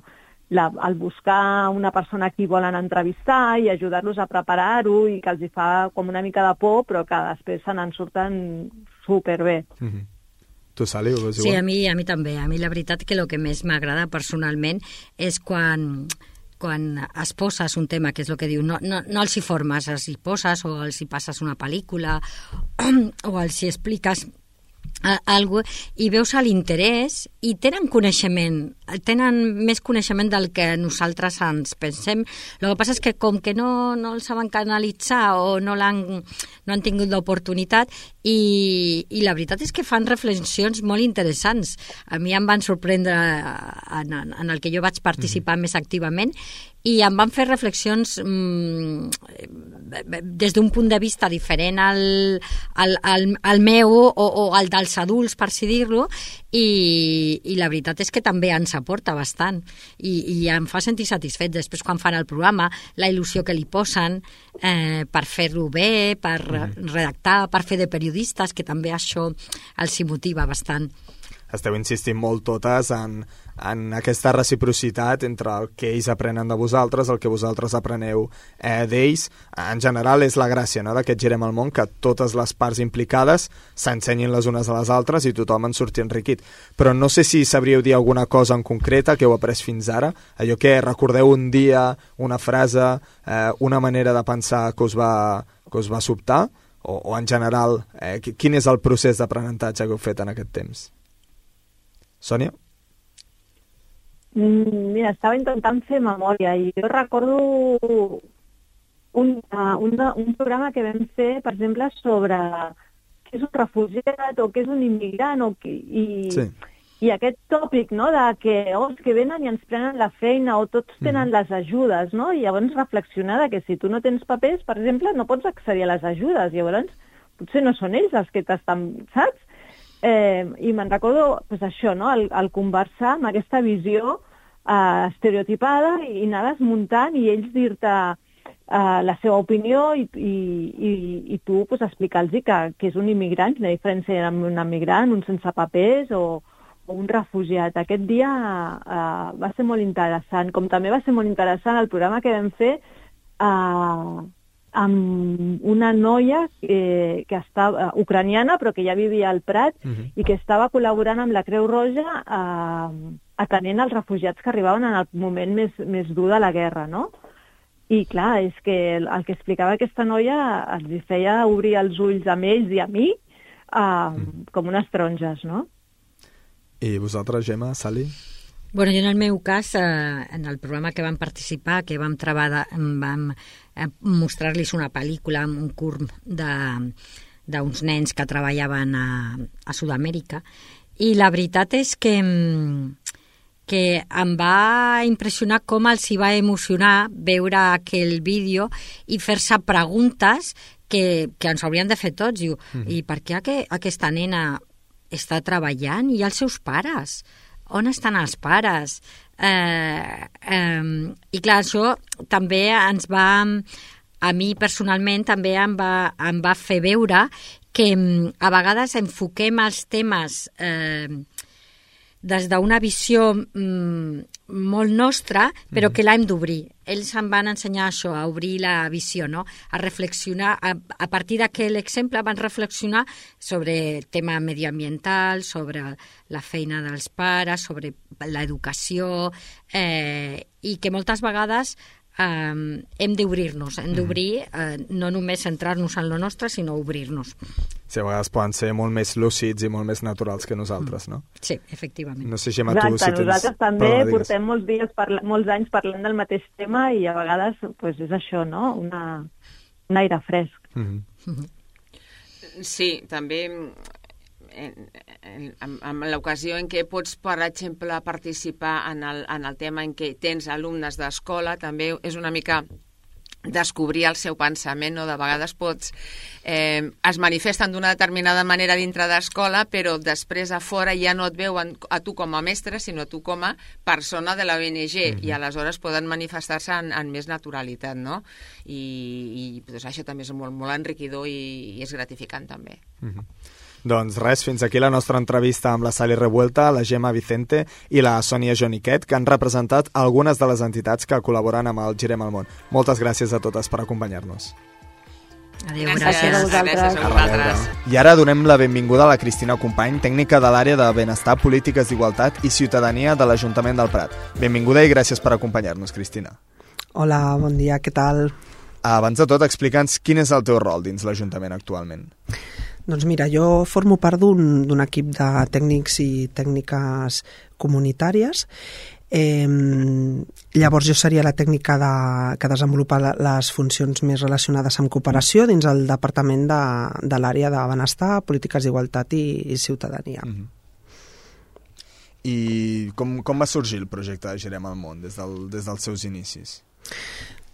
la, el buscar una persona a qui volen entrevistar i ajudar-los a preparar-ho i que els hi fa com una mica de por però que després se n'en surten superbé. Mm-hmm. Tu, Sally, ho veus igual? Sí, a mi, a mi també. A mi la veritat que el que més m'agrada personalment és quan... quan es poses un tema, que és el que diu, no, no, no els hi formes, els hi poses o els hi passes una pel·lícula o els hi expliques algo i veus l'interès i tenen coneixement, tenen més coneixement del que nosaltres ens pensem. El que passa és que com que no, no el saben canalitzar o no, l'han, no han tingut l'oportunitat i, i la veritat és que fan reflexions molt interessants. A mi em van sorprendre en, en el que jo vaig participar mm-hmm. més activament i em van fer reflexions mmm, des d'un punt de vista diferent al, al, al, al meu o, o al dels adults, per si dir-lo, i, i la veritat és que també ens aporta bastant i, i em fa sentir satisfet després quan fan el programa, la il·lusió que li posen eh, per fer-lo bé, per redactar, per fer de periodistes, que també això els hi motiva bastant. Esteu insistint molt totes en, en aquesta reciprocitat entre el que ells aprenen de vosaltres, el que vosaltres apreneu eh, d'ells. En general és la gràcia, no?, d'aquest Girem al món, que totes les parts implicades s'ensenyin les unes a les altres i tothom en surti enriquit. Però no sé si sabríeu dir alguna cosa en concreta que heu après fins ara, allò que recordeu un dia, una frase, eh, una manera de pensar que us va, que us va sobtar, o, o en general, eh, quin és el procés d'aprenentatge que heu fet en aquest temps? Sònia? Mira, estava intentant fer memòria i jo recordo un, uh, un, un programa que vam fer, per exemple, sobre què és un refugiat o què és un immigrant o qui, i, sí. i aquest tòpic, no?, de que, oh, que venen i ens prenen la feina o tots tenen mm. les ajudes, no? I llavors reflexionar que si tu no tens papers, per exemple, no pots accedir a les ajudes, llavors potser no són ells els que t'estan, saps? Eh, I me'n recordo pues, això, no? el, el conversar amb aquesta visió eh, estereotipada i, i anar desmuntant i ells dir-te eh, la seva opinió i, i, i, i tu pues, explicar-los que, que és un immigrant, quina diferència hi ha amb un immigrant, un sense papers o, o un refugiat. Aquest dia eh, va ser molt interessant, com també va ser molt interessant el programa que vam fer eh, amb una noia que, que estava uh, ucraniana però que ja vivia al Prat uh-huh. i que estava col·laborant amb la Creu Roja uh, atenent els refugiats que arribaven en el moment més, més dur de la guerra, no? I clar, és que el, el que explicava aquesta noia els feia obrir els ulls amb ells i a mi uh, uh-huh. com unes taronges, no? I vosaltres, Gemma, Sally? Bueno, jo en el meu cas, eh, en el programa que vam participar, que vam treballar, vam eh, mostrar-los una pel·lícula, un curt d'uns nens que treballaven a, a Sud-amèrica, i la veritat és que, que em va impressionar com els hi va emocionar veure aquell vídeo i fer-se preguntes que, que ens haurien de fer tots. Diu, mm. i per què aqu aquesta nena està treballant i els seus pares? On estan els pares? Eh, eh, I clar, això també ens va, a mi personalment també em va, em va fer veure que a vegades enfoquem els temes eh, des d'una visió mm, molt nostra, però que l'hem d'obrir. Ells em van ensenyar això, a obrir la visió, no? A reflexionar, a, a partir d'aquell exemple van reflexionar sobre el tema medioambiental, sobre la feina dels pares, sobre l'educació, eh, i que moltes vegades eh, hem d'obrir-nos, hem d'obrir, eh, no només centrar-nos en lo nostre, sinó obrir-nos. Sí, a vegades poden ser molt més lúcids i molt més naturals que nosaltres, no? Sí, efectivament. No sé, Gemma, Exacte, tu si tens... nosaltres també Perdó, portem molts dies, parla... molts anys parlant del mateix tema i a vegades pues, és això, no? Una... un aire fresc. Mm-hmm. Sí, també en, en, en, en l'ocasió en què pots, per exemple, participar en el, en el tema en què tens alumnes d'escola, també és una mica descobrir el seu pensament, no? De vegades pots... Eh, es manifesten d'una determinada manera dintre d'escola, però després a fora ja no et veuen a tu com a mestre, sinó a tu com a persona de la O N G, mm-hmm. i aleshores poden manifestar-se en, en més naturalitat, no? I, i doncs, això també és molt, molt enriquidor i, i és gratificant també. Mm-hmm. Doncs res, fins aquí la nostra entrevista amb la Sally Revuelta, la Gemma Vicente i la Sònia Joniquet, que han representat algunes de les entitats que col·laboren amb el Girem el Món. Moltes gràcies a totes per acompanyar-nos. Adéu, gràcies, gràcies a vosaltres. Gràcies a vosaltres. I ara donem la benvinguda a la Cristina Company, tècnica de l'àrea de Benestar, Polítiques d'Igualtat i Ciutadania de l'Ajuntament del Prat. Benvinguda i gràcies per acompanyar-nos, Cristina. Hola, bon dia, què tal? Abans de tot, explica'ns quin és el teu rol dins l'Ajuntament actualment. Doncs mira, jo formo part d'un d'un equip de tècnics i tècniques comunitàries. Eh, llavors jo seria la tècnica de, que desenvolupa les funcions més relacionades amb cooperació dins el departament de, de l'àrea de Benestar, Polítiques d'Igualtat i, i Ciutadania. Mm-hmm. I com, com va sorgir el projecte de Girem el Món des, del, des dels seus inicis?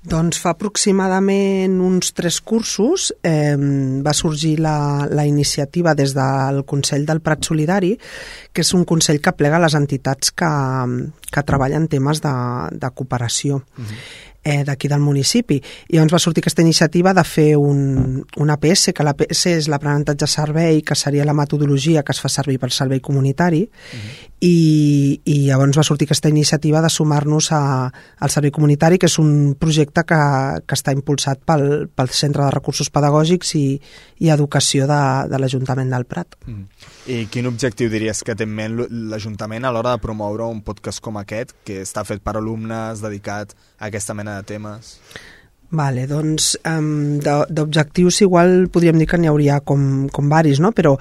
Doncs fa aproximadament uns tres cursos eh, va sorgir la, la iniciativa des del Consell del Prat Solidari, que és un consell que plega les entitats que, que treballen temes de, de cooperació. Uh-huh. eh, d'aquí del municipi. I llavors va sortir aquesta iniciativa de fer un, un A P S, que l'A P S és l'aprenentatge servei, que seria la metodologia que es fa servir pel servei comunitari, uh-huh. i, i llavors va sortir aquesta iniciativa de sumar-nos a, al servei comunitari, que és un projecte que, que està impulsat pel, pel Centre de Recursos Pedagògics i, i Educació de, de l'Ajuntament del Prat. Mm. I quin objectiu diries que té en ment l'Ajuntament a l'hora de promoure un podcast com aquest, que està fet per alumnes, dedicat a aquesta mena de temes? Vale, doncs um, d'objectius igual podríem dir que n'hi hauria com, com varis, no? Però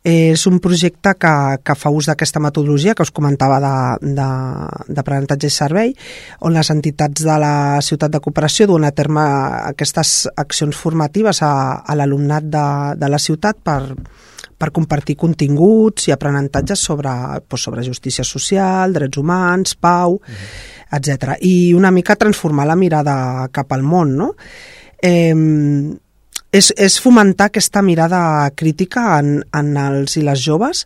és un projecte que, que fa ús d'aquesta metodologia que us comentava d'aprenentatge i servei, on les entitats de la ciutat de cooperació duen a terme aquestes accions formatives a, a l'alumnat de, de la ciutat per, per compartir continguts i aprenentatges sobre, doncs, sobre justícia social, drets humans, pau, uh-huh. etcètera. I una mica transformar la mirada cap al món, no? Eh, és, és fomentar aquesta mirada crítica en, en els i les joves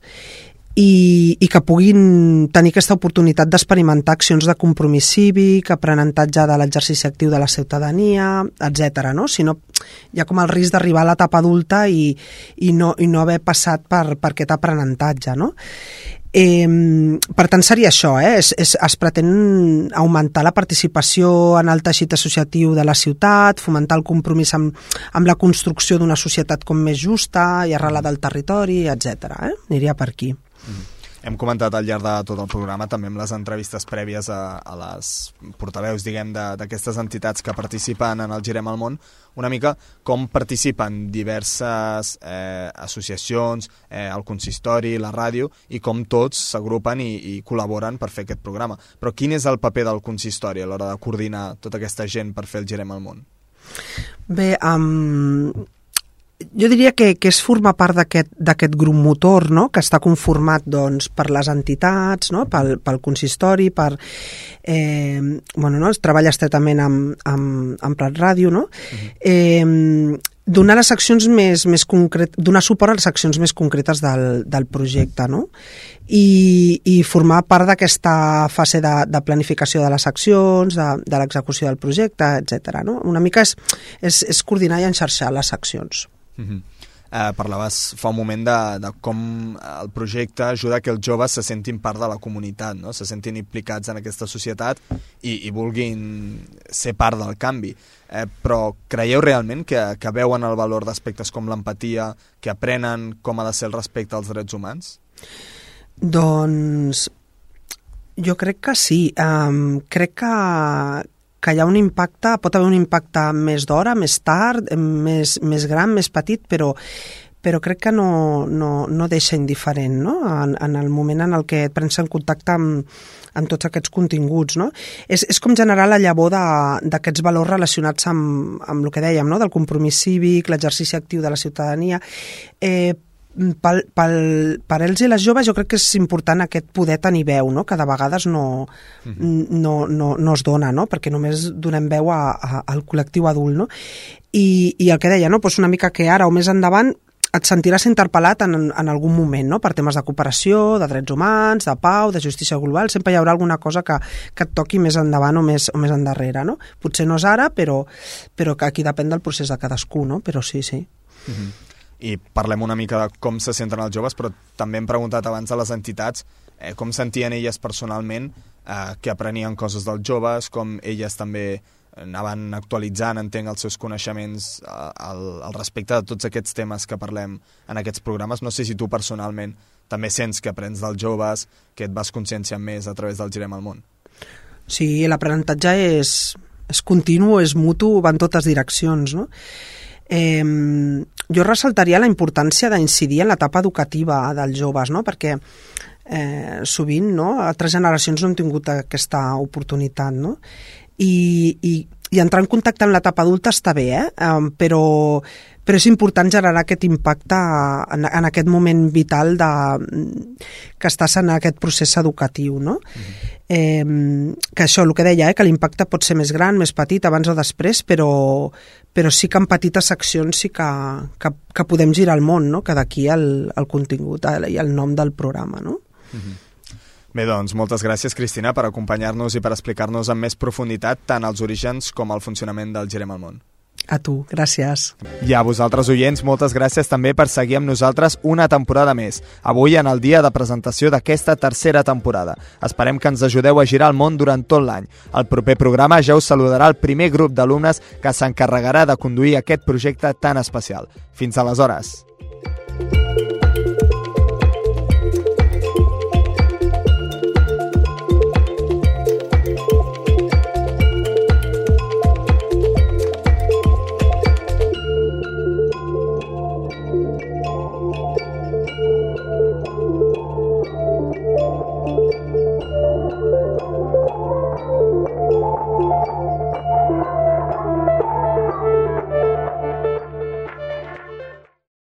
i, i que puguin tenir aquesta oportunitat d'experimentar accions de compromís cívic, aprenentatge de l'exercici actiu de la ciutadania, etcètera. No? Si no, hi ha com el risc d'arribar a l'etapa adulta i, i, no, i no haver passat per, per aquest aprenentatge, no? Eh, per tant seria això, eh? es, es, es pretén augmentar la participació en el teixit associatiu de la ciutat, fomentar el compromís amb, amb la construcció d'una societat com més justa i arrelada al territori, etcètera. Eh? Aniria per aquí. Mm. Hem comentat al llarg de tot el programa, també amb les entrevistes prèvies a, a les portaveus, diguem, d'aquestes entitats que participen en el Girem al Món, una mica com participen diverses eh, associacions, eh, el consistori, la ràdio, i com tots s'agrupen i, i col·laboren per fer aquest programa. Però quin és el paper del consistori a l'hora de coordinar tota aquesta gent per fer el Girem al Món? Bé, um... jo diria que, que és formar part d'aquest grup motor, no? Que està conformat doncs, per les entitats, no? pel, pel consistori, per eh, bueno, no? es treballa estretament amb, amb, amb Prat Ràdio, no? Uh-huh. eh, donar les accions més, més concret, donar suport a les accions més concretes del, del projecte, no? I, i formar part d'aquesta fase de, de planificació de les accions, de, de l'execució del projecte, etcètera. No? Una mica és, és, és coordinar i enxarxar les accions. Uh-huh. eh, parlaves fa un moment de, de com el projecte ajuda que els joves se sentin part de la comunitat, no? Se sentin implicats en aquesta societat i, i vulguin ser part del canvi. Eh, però creieu realment que, que veuen el valor d'aspectes com l'empatia, que aprenen com ha de ser el respecte als drets humans? Doncs jo crec que sí. Um, crec que, que que hi ha un impacte, pot haver un impacte més d'hora, més tard, més, més gran, més petit, però però crec que no, no, no deixa indiferent, no? En, en el moment en el que et prens en contacte amb, amb tots aquests continguts, no? És, és com generar la llavor d'aquests valors relacionats amb, amb el que dèiem, no? Del compromís cívic, l'exercici actiu de la ciutadania. Eh, pel, pel, per ells i les joves jo crec que és important aquest poder tenir veu, no? Que de vegades no, mm-hmm. no, no, no es dona, no? Perquè només donem veu a, a, al col·lectiu adult, no? I, i el que deia, no? Pues una mica que ara o més endavant et sentiràs interpel·lat en, en algun moment, no? Per temes de cooperació, de drets humans, de pau, de justícia global, sempre hi haurà alguna cosa que, que et toqui més endavant o més, o més endarrere, no? Potser no és ara, però, però que aquí depèn del procés de cadascú, no? Però sí, sí. Mm-hmm. I parlem una mica de com se senten els joves, però també hem preguntat abans a les entitats eh, com sentien elles personalment, eh, que aprenien coses dels joves, com elles també anaven actualitzant, entenc, els seus coneixements al, al respecte de tots aquests temes que parlem en aquests programes. No sé si tu personalment també sents que aprens dels joves, que et vas conscienciant més a través del Girem al Món. Sí, l'aprenentatge és, és continu, és mutu, va en totes direccions, no? Eh, jo ressaltaria la importància d'incidir en l'etapa educativa dels joves, no? Perquè eh, sovint, no? Altres generacions no han tingut aquesta oportunitat, no? I, i, i entrar en contacte amb l'etapa adulta està bé, eh? Um, però, però és important generar aquest impacte en, en aquest moment vital de, que estàs en aquest procés educatiu, no? Mm-hmm. Eh, que això, el que deia, eh? Que l'impacte pot ser més gran, més petit, abans o després, però, però sí que en petites accions sí que, que, que podem girar el món, no? Que d'aquí el, el contingut i el nom del programa, no? Mm-hmm. Bé, doncs, moltes gràcies, Cristina, per acompanyar-nos i per explicar-nos amb més profunditat tant els orígens com el funcionament del Girem al Món. A tu, gràcies. I a vosaltres, oients, moltes gràcies també per seguir amb nosaltres una temporada més, avui en el dia de presentació d'aquesta tercera temporada. Esperem que ens ajudeu a girar el món durant tot l'any. Al proper programa ja us saludarà el primer grup d'alumnes que s'encarregarà de conduir aquest projecte tan especial. Fins aleshores.